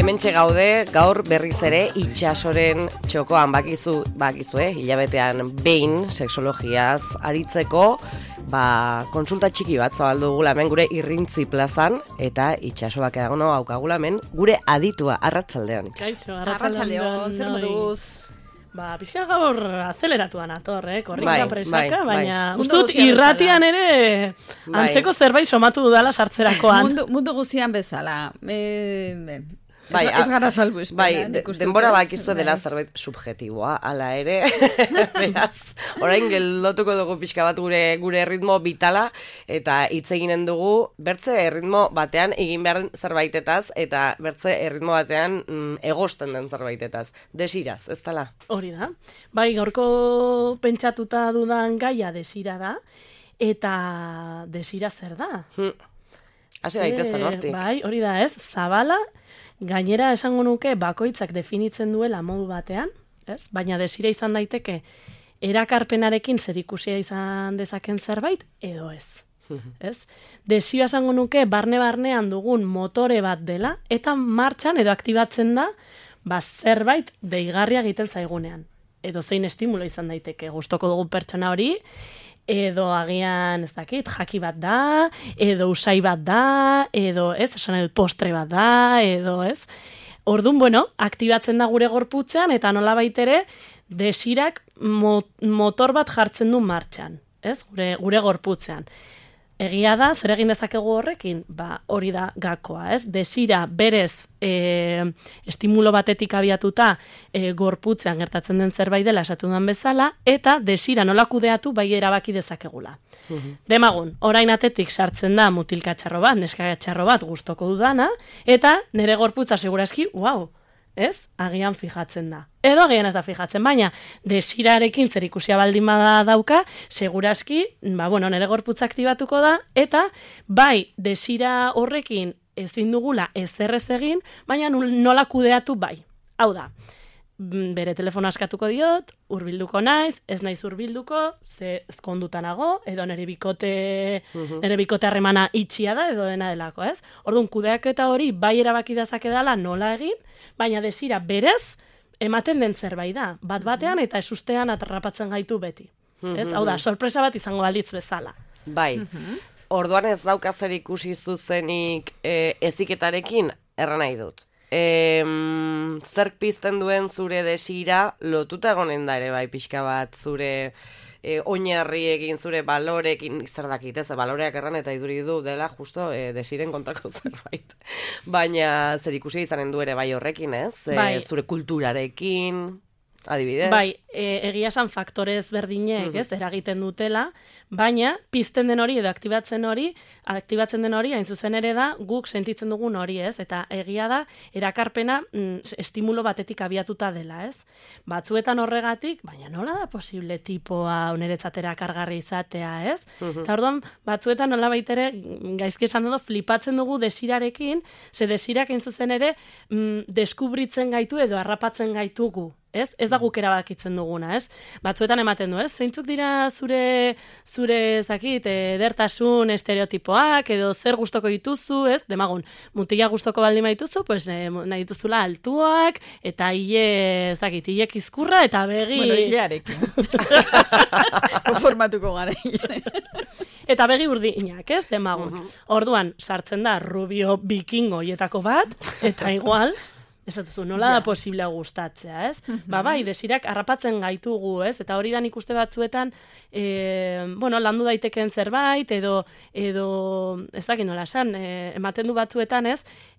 Hementxe gaude, gaur berriz ere itxasoren txokoan bakizue, hilabetean behin sexologiaz aritzeko, konsulta txiki bat zabaldu dugula hemen gure Irrintzi plazan, eta itxasoak edagono haukagula hemen gure aditua, arratsaldean. Kaixo, arratsaldeon, zer moduz? Pixka gaur azeleratuan ator, korrika presaka, baina bai. ustut irratian ere antzeko zerbait somatu dudala sartzerakoan. Mundu guztian bezala. Ez gara salbu denbora bakiztu dela zerbait subjetiboa, ala ere, beraz, orain geldotuko dugu pixka bat gure ritmo vitala, eta hitz eginen dugu, bertze ritmo batean egin behar zerbaitetaz, eta bertze ritmo batean egosten den zerbaitetaz. Desiraz, ez dela? Hori da. Bai, gaurko pentsatuta dudan gaia desira da, eta desira zer da? Hasi baitezen hortik. Bai, hori da ez, zabala, gainera esango nuke bakoitzak definitzen duela modu batean, ez? Baina desira izan daiteke erakarpenarekin zerikusia izan dezaken zerbait edo ez. Ez? Desira esango nuke barne-barnean dugun motore bat dela eta martxan edo aktibatzen da zerbait deigarria egiten zaigunean. Edo zein estimulo izan daiteke gustoko dugun pertsona hori, edo agian, ez dakit, jaki bat da, edo usai bat da, edo, esan edut postre bat da, edo, Orduan, aktibatzen da gure gorputzean, eta nolabait ere, desirak motor bat jartzen du martxan, gure gorputzean. Egia da, zer egin dezakegu horrekin? Hori da gakoa, Desira berez estimulo batetik abiatuta gorputzean gertatzen den zerbait dela esatu den bezala, eta desira nola kudeatu bai erabaki dezakegula. Demagun, orain atetik sartzen da mutilkatxarro bat, neskatxarro bat gustoko dudana, eta nire gorputza segurazki, agian fijatzen da. Edo agian ez da fijatzen, baina desirarekin zerikusia baldin bada dauka, segurazki, nire gorputza aktibatuko da, eta bai, desira horrekin ezin dugula ezerrez egin, baina nola kudeatu bai. Hau da, bere telefono askatuko diot, hurbilduko naiz, ez naiz hurbilduko, ze ezkondutanago, edo nire bikote harremana itxia da, edo dena delako, Orduan, kudeaketa hori bai erabaki dezake dela nola egin, baina desira berez ematen den zerbait da, bat-batean eta esustean atrapatzen gaitu beti. Hau da, sorpresa bat izango balitz bezala. Bai, orduan ez dauka zer ikusi zuzenik eziketarekin, erran nahi dut. Zerk pizten duen zure desira lotuta egonen da ere bai pixka bat zure oinarriekin, zure balorekin, zer dakit, baloreak erran eta iduri du dela justo desiren kontrako zerbait. Baina zer ikusi izanen du ere bai horrekin, zure kulturarekin, adibidez. Bai, egia esan faktore ezberdinek, eragiten dutela, baina pizten den hori edo aktibatzen den hori, hain zuzen ere da, guk sentitzen dugun hori, eta egia da, erakarpena estimulo batetik abiatuta dela, Batzuetan horregatik, baina nola da posible tipoa niretzat erakargarri izatea, Eta orduan, batzuetan nola baitere, gaizki esan dugu, flipatzen dugu desirarekin, ze desirak hain zuzen ere, deskubritzen gaitu edo harrapatzen gaitugu. Ez da guk erabakitzen duguna, Batzuetan ematen du, zeintzuk dira zure zakit, edertasun estereotipoak, edo zer gustoko dituzu, Demagun, mutila gustoko baldin badituzu, pues nahi dituzula altuak, eta hile kizkurra, eta begi... Bueno, hilearekin. Konformatuko gara hilearekin. Eta begi urdinak, Demagun. Orduan, sartzen da rubio bikingo hietako bat, eta igual... Esatuzu, nola da posiblea gustatzea, Bai, desirak harrapatzen gaitugu, Eta hori da nik uste batzuetan, landu daitekeen zerbait, edo ez dakit nola esan, ematen du batzuetan,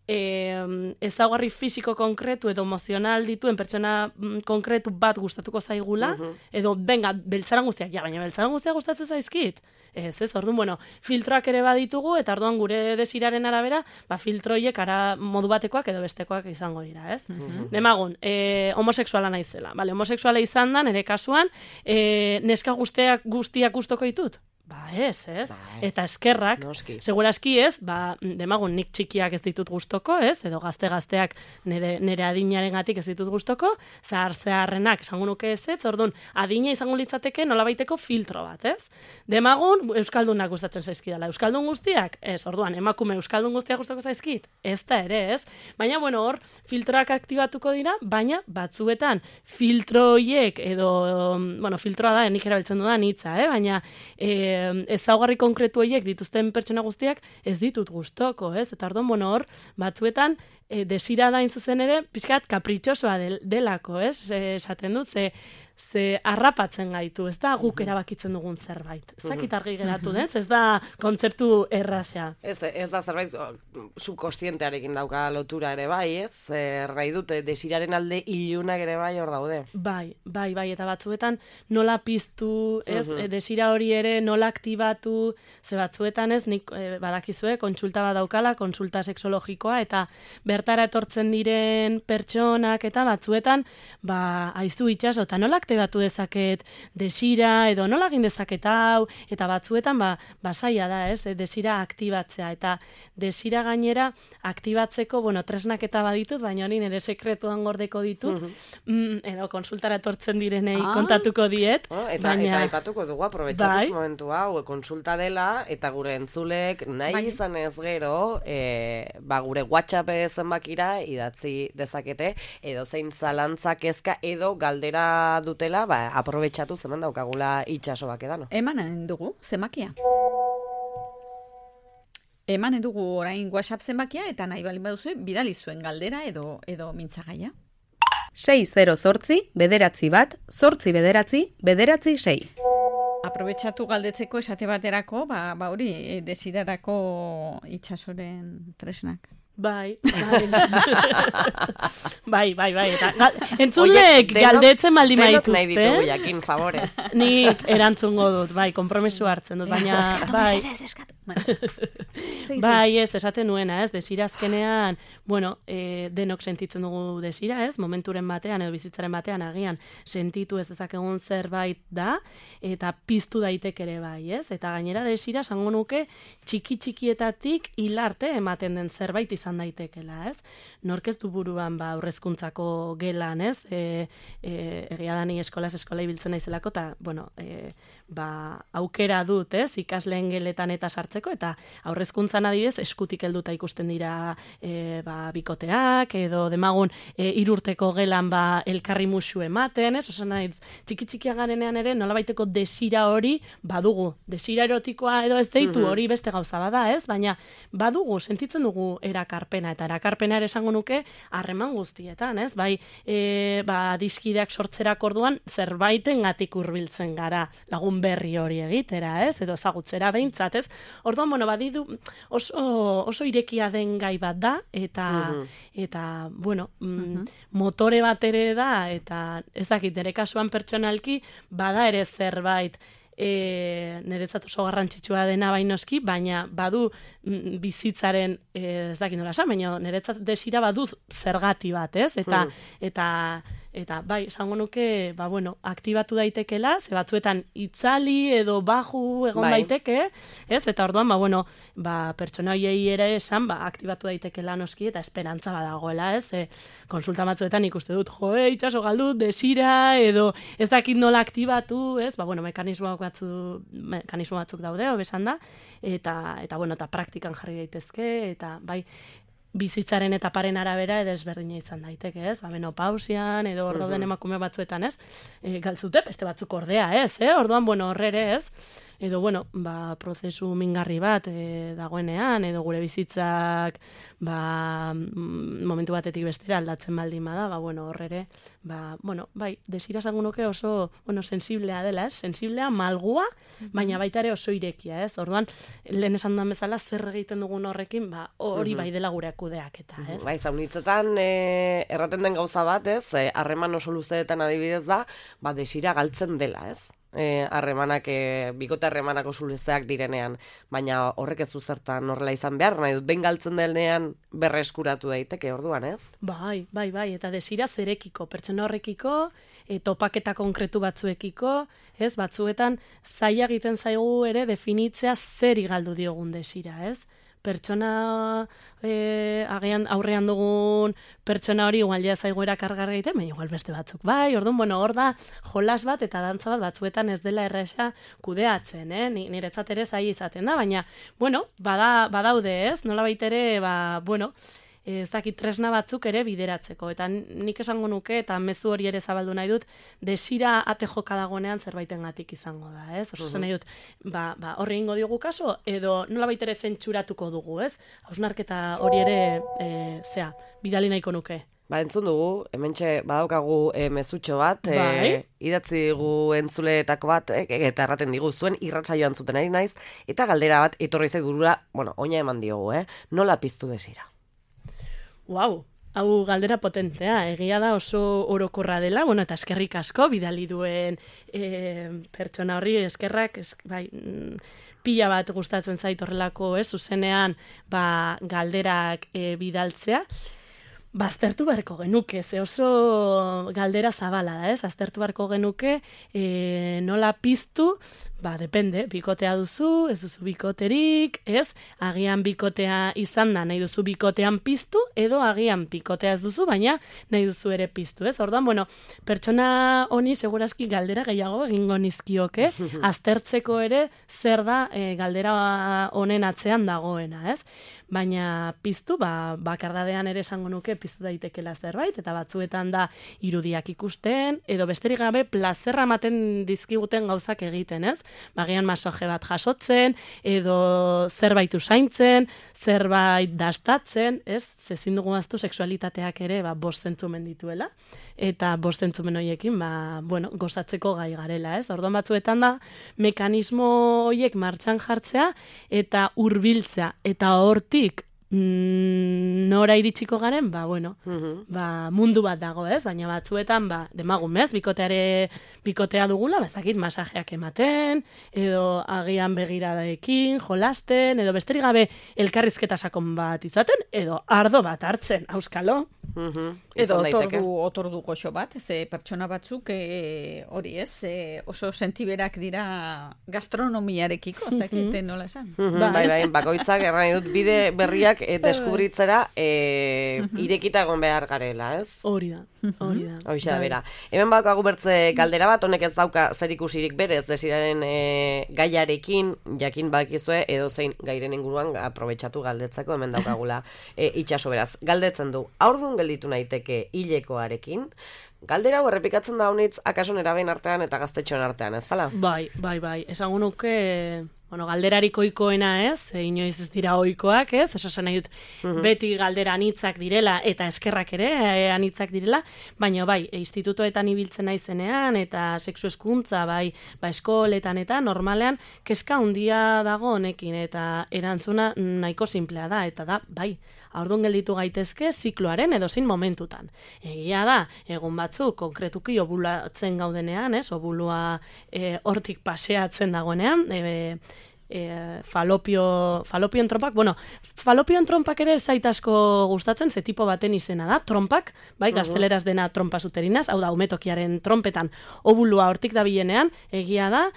ezaugarri fisiko konkretu edo emozional dituen pertsona konkretu bat gustatuko zaigula, edo, beltzaran guztiak, baina beltzaran guztiak gustatzen zaizkit. Orduan, filtroak ere baditugu, eta orduan gure desiraren arabera, filtroiek modu batekoak edo bestekoak izango dira, Demagun, homosexuala naizela. Homosexuala izan da, nire kasuan, neska guztiak gustoko ditut? Ba ez? Ba ez. Eta eskerrak, Noski. seguraski ez, demagun nik txikiak ez ditut gustoko, ez? Edo gazteak nire adinarengatik ez ditut gustoko, zaharrenak esango nuke ez, orduan adina izango litzateke nolabaiteko filtro bat, ez? Demagun euskaldunak gustatzen zaizkidala. Euskaldun guztiak? Ez, orduan emakume euskaldun guztiak gustako zaizkit? Ez da ere, ez? Baina bueno, hor filtroak aktibatuko dira, baina batzuetan filtro horiek edo filtroa da, nik erabiltzen dudan hitza, baina ezaugarri konkretu horiek dituzten pertsona guztiak ez ditut gustoko, ez? Eta orduan, hor, batzuetan desira da zuzen ere, pixkat kapritxosoa delako, ez? Esaten dut, ze harrapatzen gaitu, ez da guk erabakitzen dugun zerbait. Ez dakit argi geratu, ez da kontzeptu erraza. Ez da zerbait subkostientearekin dauka lotura ere bai, ez? Errai dute, desiraren alde ilunak ere bai hor daude. Bai, eta batzuetan nola piztu, ez? Desira hori ere nola aktibatu, ze batzuetan ez, nik badakizue, kontsulta bat daukala, kontsulta sexologikoa, eta bertara etortzen diren pertsonak, eta batzuetan, aizu itxaso, eta nola aktibatu dezaket desira, edo nola egin dezaket hau, eta batzuetan zaila da, ez, desira aktibatzea, eta desira gainera aktibatzeko, tresnak eta baditut, baina hori nire sekretuan gordeko ditut, edo konsultara etortzen direnei kontatuko diet. Eta aipatuko dugu, aprobetxatuz momentu hau, konsulta dela, eta gure entzulek nahi izan ez gero, gure WhatsApp zenbakira idatzi dezakete, edo zein zalantza kezka, edo galdera dutela, aprobetxatu zeman daukagula itxasoak edano. Emanen dugu, zenbakia. Emanen dugu orain WhatsApp zenbakia, eta nahi balin baduzue, bidali zuen galdera edo mintzagaia. 608 bederatzi bat, 8 bederatzi, bederatzi 6. Aprobetxatu galdetzeko esate baterako, hori desirarako itxasoren tresnak. Bai. Eta entzulek galdetzen baldin denok dituzte. nahi ditugu jakin, favorez. Nik erantzungo dut, promesu hartzen dut, baina Eskatu. Bai, ez, esaten nuena, ez, desirazkenean, denok sentitzen dugu desira, ez, momenturen batean edo bizitzaren batean agian sentitu ez dezakegun zerbait da, eta piztu daiteke ere bai, ez, eta gainera desira esango nuke txikietatik hilarte ematen den zerbait izan daitekela, ez, nork ez du buruan aurrezkuntzako gelan, ez, egia da ni eskola ibiltzen naizelako, eta, aukera dut, ez, ikasleen geletan eta sartzeko, eta aurrezkuntzan adibidez eskutik helduta ikusten dira bikoteak, edo demagun 3 urteko gelan elkarri musu ematen, ez? Osan nahi, txikia garenean ere nolabaiteko desira hori badugu. Desira erotikoa edo ez deitu hori beste gauza bada, ez? Baina badugu, sentitzen dugu erakarpena, eta erakarpena ere esango nuke harreman guztietan, ez? Bai, diskideak sortzerak orduan zerbaitengatik hurbiltzen gara lagun berri hori egitera, ez? Edo ezagutzera behintzat, ez? Orduan, badidu oso irekia den gai bat da, eta motore bat ere da, eta ez dakit, nire kasuan pertsonalki, bada ere zerbait, niretzat oso garrantzitsua dena bainoski, baina badu bizitzaren, ez dakit nola esan, baina niretzat desira badu zergati bat, ez? Eta bai, esango nuke, aktibatu daitekela, ze batzuetan itzali edo baju egon daiteke, ez? Eta orduan, pertsona hoiei ere esan, aktibatu daitekela noski, eta esperantza badagoela, ez? Konsulta batzuetan ikuste dut, itxaso galdut, desira, edo ez dakit nola aktibatu, ez? Mekanismo batzuk daude, hobesan da, eta praktikan jarri daitezke, eta bai, bizitzaren etaparen arabera edo ezberdina izan daiteke, ez? Menopausian edo hor dauden emakume batzuetan, ez? Galtzute, beste batzuk ordea, ez? Orduan, horrere, ez? Edo, prozesu mingarri bat dagoenean, edo gure bizitzak momentu batetik bestera aldatzen baldin bada, horrere, desira esango nuke oso, sensiblea dela, ez? Sensiblea, malgua, baina baita ere oso irekia, ez? Orduan, lehen esan duan bezala, zer egiten dugun horrekin, hori bai dela gure kudeaketa, ez? Bai, zaunitzetan erraten den gauza bat, ez? Harreman oso luzeetan adibidez da, desira galtzen dela, ez? harremanak, bikote harremanako sulesteak direnean, baina horrek ez du zertan horrela izan behar, nahi dut, behin galtzen denean berreskuratu daiteke orduan, ez? Bai, eta desira zerekiko, pertsona horrekiko, topaketa konkretu batzuekiko, ez, batzuetan zaila egiten zaigu ere definitzea zeri galdu diogun desira, ez? Pertsona agian aurrean dugun pertsona hori igual ja zaigu erakargarri egiten, baina igual beste batzuk. Bai, orduan, hor da jolas bat eta dantza bat batzuetan ez dela erresa kudeatzen, niretzat ere zaila izaten da, baina, badaude ez, nolabait ere, ez dakit tresna batzuk ere bideratzeko. Eta nik esango nuke, eta mezu hori ere zabaldu nahi dut, desira ate joka dagoenean zerbaitengatik izango da, ez? Oso nahi dut, horri ingo diogu kaso, edo nolabait ere zentsuratuko dugu, ez? Hausnarketa hori ere, bidali nahiko nuke. Entzun dugu, hementxe badaukagu mezutxo bat, idatzi digu entzuleetako bat, eta erraten digu zuen irratsaioan zuten ari naiz, eta galdera bat etorri zait burura, oina eman diogu, nola piztu desira? Hau galdera potentea, egia da oso orokorra dela, eta eskerrik asko bidali duen pertsona horri eskerrak, pila bat gustatzen zait horrelako, zuzenean galderak bidaltzea. Aztertu beharko genuke, ze oso galdera zabala da, aztertu beharko genuke nola piztu, depende, bikotea duzu, ez duzu bikoterik, agian bikotea izan da, nahi duzu bikotean piztu, edo agian bikotea ez duzu, baina nahi duzu ere piztu, Orduan, pertsona honi segurazki galdera gehiago egingo nizkioke, aztertzeko ere zer da galdera honen atzean dagoena, Baina piztu, bakardadean ere esango nuke piztu daitekela zerbait, eta batzuetan da irudiak ikusten, edo besterik gabe plazerra ematen dizkiguten gauzak egiten, Bagian masoje bat jasotzen, edo zerbait usaintzen, zerbait dastatzen, zezin dugu aztu sexualitateak ere bost zentzumen dituela, eta bost zentzumen horiekin gozatzeko gai garela, Orduan batzuetan da mekanismo horiek martxan jartzea, eta hurbiltzea, eta hortik nora iritsiko garen, mundu bat dago, baina batzuetan, demagun, bikotea dugula, bazakit masajeak ematen, edo agian begiradaekin, jolasten, edo besterik gabe elkarrizketa sakon bat izaten, edo ardo bat hartzen, auskalo. Edo otordu goxo bat, ze pertsona batzuk hori oso sentiberak dira gastronomiarekiko, zakite nola esan. Bakoitzak erran dut bide berriak deskubritzera irekita egon behar garela, Hori da. Hoxe da, bera. Hemen bakagu bertze galdera bat, honek ez dauka zer ikusirik berez desiraren gaiarekin, jakin bakizue, edo zein gairen inguruan aprobetxatu galdetzeko, hemen daukagula itxaso beraz. Galdetzen du, haurdun gelditu naiteke hilekoarekin, galdera hau errepikatzen da honitz akaso neraben artean eta gaztetxoen artean, ez zala? Bai. Esango nuke, galderarik ohikoena inoiz ez dira ohikoak, eso esan nahi dut, beti galdera anitzak direla, eta eskerrak ere anitzak direla, baina institutoetan ibiltzen naizenean, eta sexu hezkuntza, eskoletan eta normalean, kezka handia dago honekin, eta erantzuna nahiko simplea da, eta da, haurdun gelditu gaitezke zikloaren edozein momentutan. Egia da, egun batzuk, konkretuki obulatzen gaudenean, obulua hortik paseatzen dagoenean, falopion trompak, falopion trompak ere zait asko gustatzen, ze tipo baten izena da, trompak, gazteleraz dena trompas uterinas, hau da, umetokiaren trompetan obulua hortik dabilenean, egia da,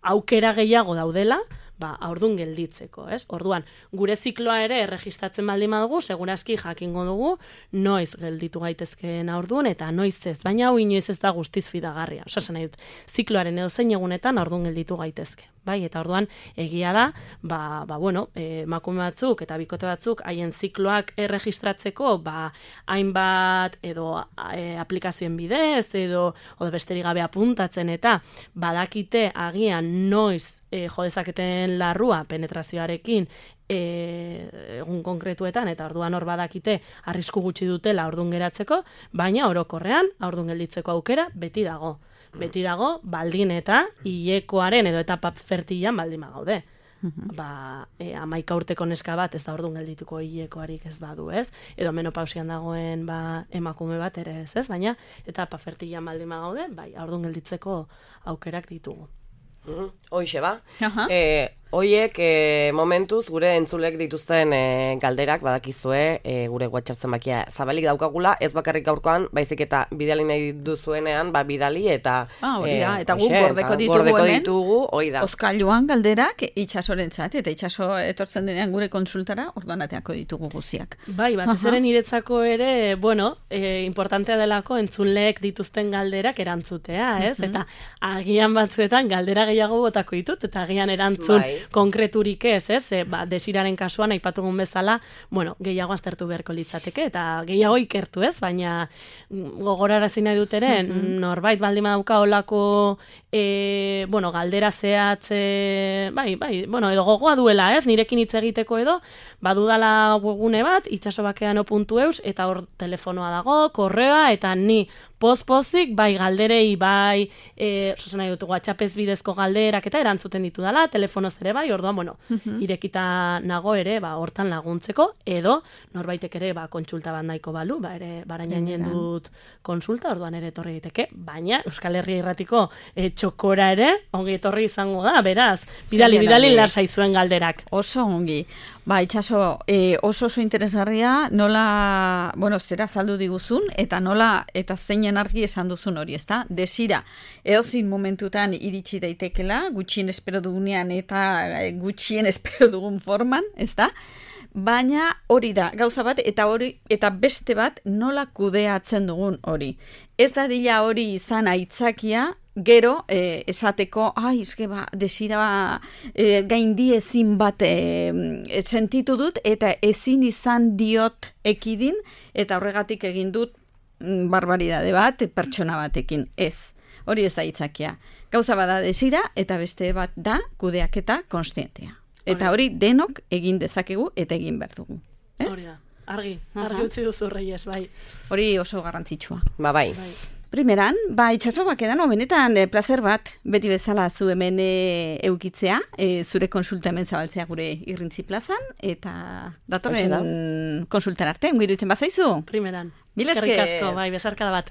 aukera gehiago daudela, haurdun gelditzeko, Orduan, gure zikloa ere erregistratzen baldin badugu, segurazki jakingo dugu, noiz gelditu gaitezkeen haurdun, eta noiz ez, baina hau inoiz ez da guztiz fidagarria. Osasen nahi dut, zikloaren edozein egunetan haurdun gelditu gaitezke. Eta orduan, egia da, emakume batzuk eta bikote batzuk haien zikloak erregistratzeko, hainbat edo aplikazioen bidez, edo besterik gabe apuntatzen, eta badakite agian noiz jodezaketen larrua penetrazioarekin egun konkretuetan, eta orduan hor badakite arrisku gutxi dutela haurdun geratzeko, baina orokorrean haurdun gelditzeko aukera beti dago, baldin eta hilekoaren edo etapa fertilan baldin bagaude. 11 urteko neska bat ez da ordun geldituko hilekoarik ez badu, ez? Edo menopausian dagoen emakume bat ere ez? Baina etapa fertilan baldin bagaude, bai, ordun gelditzeko aukerak ditugu. Hoixe ba. Hoiek momentuz gure entzulek dituzten galderak badakizue gure WhatsApp zenbakia zabalik daukagula, ez bakarrik gaurkoan, baizik eta bidali nahi duzuenean, bidali eta hori da, eta guk gordeko ditugu, hori da. Oskailuan galderak itxasorentzat, eta itxaso etortzen denean gure konsultara, orduan ateako ditugu guziak. Bai, batez ere niretzako ere, importantea delako entzuleek dituzten galderak erantzutea, ez? Eta agian batzuetan galdera gehiago botako ditut, eta agian erantzun konkreturik ez, desiraren kasuan aipatugun bezala, gehiago aztertu beharko litzateke, eta gehiago ikertu ez, baina gogorarazi nahi dut ere, norbait baldin badauka olako, galdera zehatz, edo gogoa duela, ez, nirekin hitz egiteko edo, badudala webgune bat, itxasobakeano.eus, eta hor telefonoa dago, korreoa, eta ni pozik, bai galderei, bai, nahi dut, WhatsAppez bidezko galderak eta erantzuten ditu dela, telefonoz ere bai, orduan, irekita nago ere, hortan laguntzeko, edo, norbaitek ere, kontsulta bat nahiko balu, ere, barainainen dut konsulta, orduan ere etorri diteke, baina, Euskal Herria Irratiko txokora ere, ongi etorri izango da, beraz, bidali lasai zuen galderak. Oso ongi. Itxaso, oso interesgarria, nola, zera saldu diguzun, eta nola, eta zeinen argi esan duzun hori, ezta? Desira, edozin momentutan iritsi daitekela, gutxien espero dugunean eta gutxien espero dugun forman, ezta? Baina hori da, gauza bat, eta beste bat nola kudeatzen dugun hori. Ez da dila hori izan aitzakia, gero, esateko, desira gaindi ezin bat sentitu dut, eta ezin izan diot ekidin, eta horregatik egin dut barbaridade bat pertsona batekin. Ez, hori ez da aitzakia. Gauza bada desira, eta beste bat da kudeaketa konstientea. Eta hori denok egin dezakegu eta egin behar dugu. Hori da, argi utzi duzu Reyes, bai. Hori oso garrantzitsua. Bai. Primeran, itxaso bakedan, benetan plazer bat, beti bezala zu hemen eukitzea, zure konsulta hemen zabaltzea gure Irrintzi plazan, eta datorren konsultan arte, ongi iruditzen bazaizu? Primeran. Eskerrik asko, bai, besarkada bat.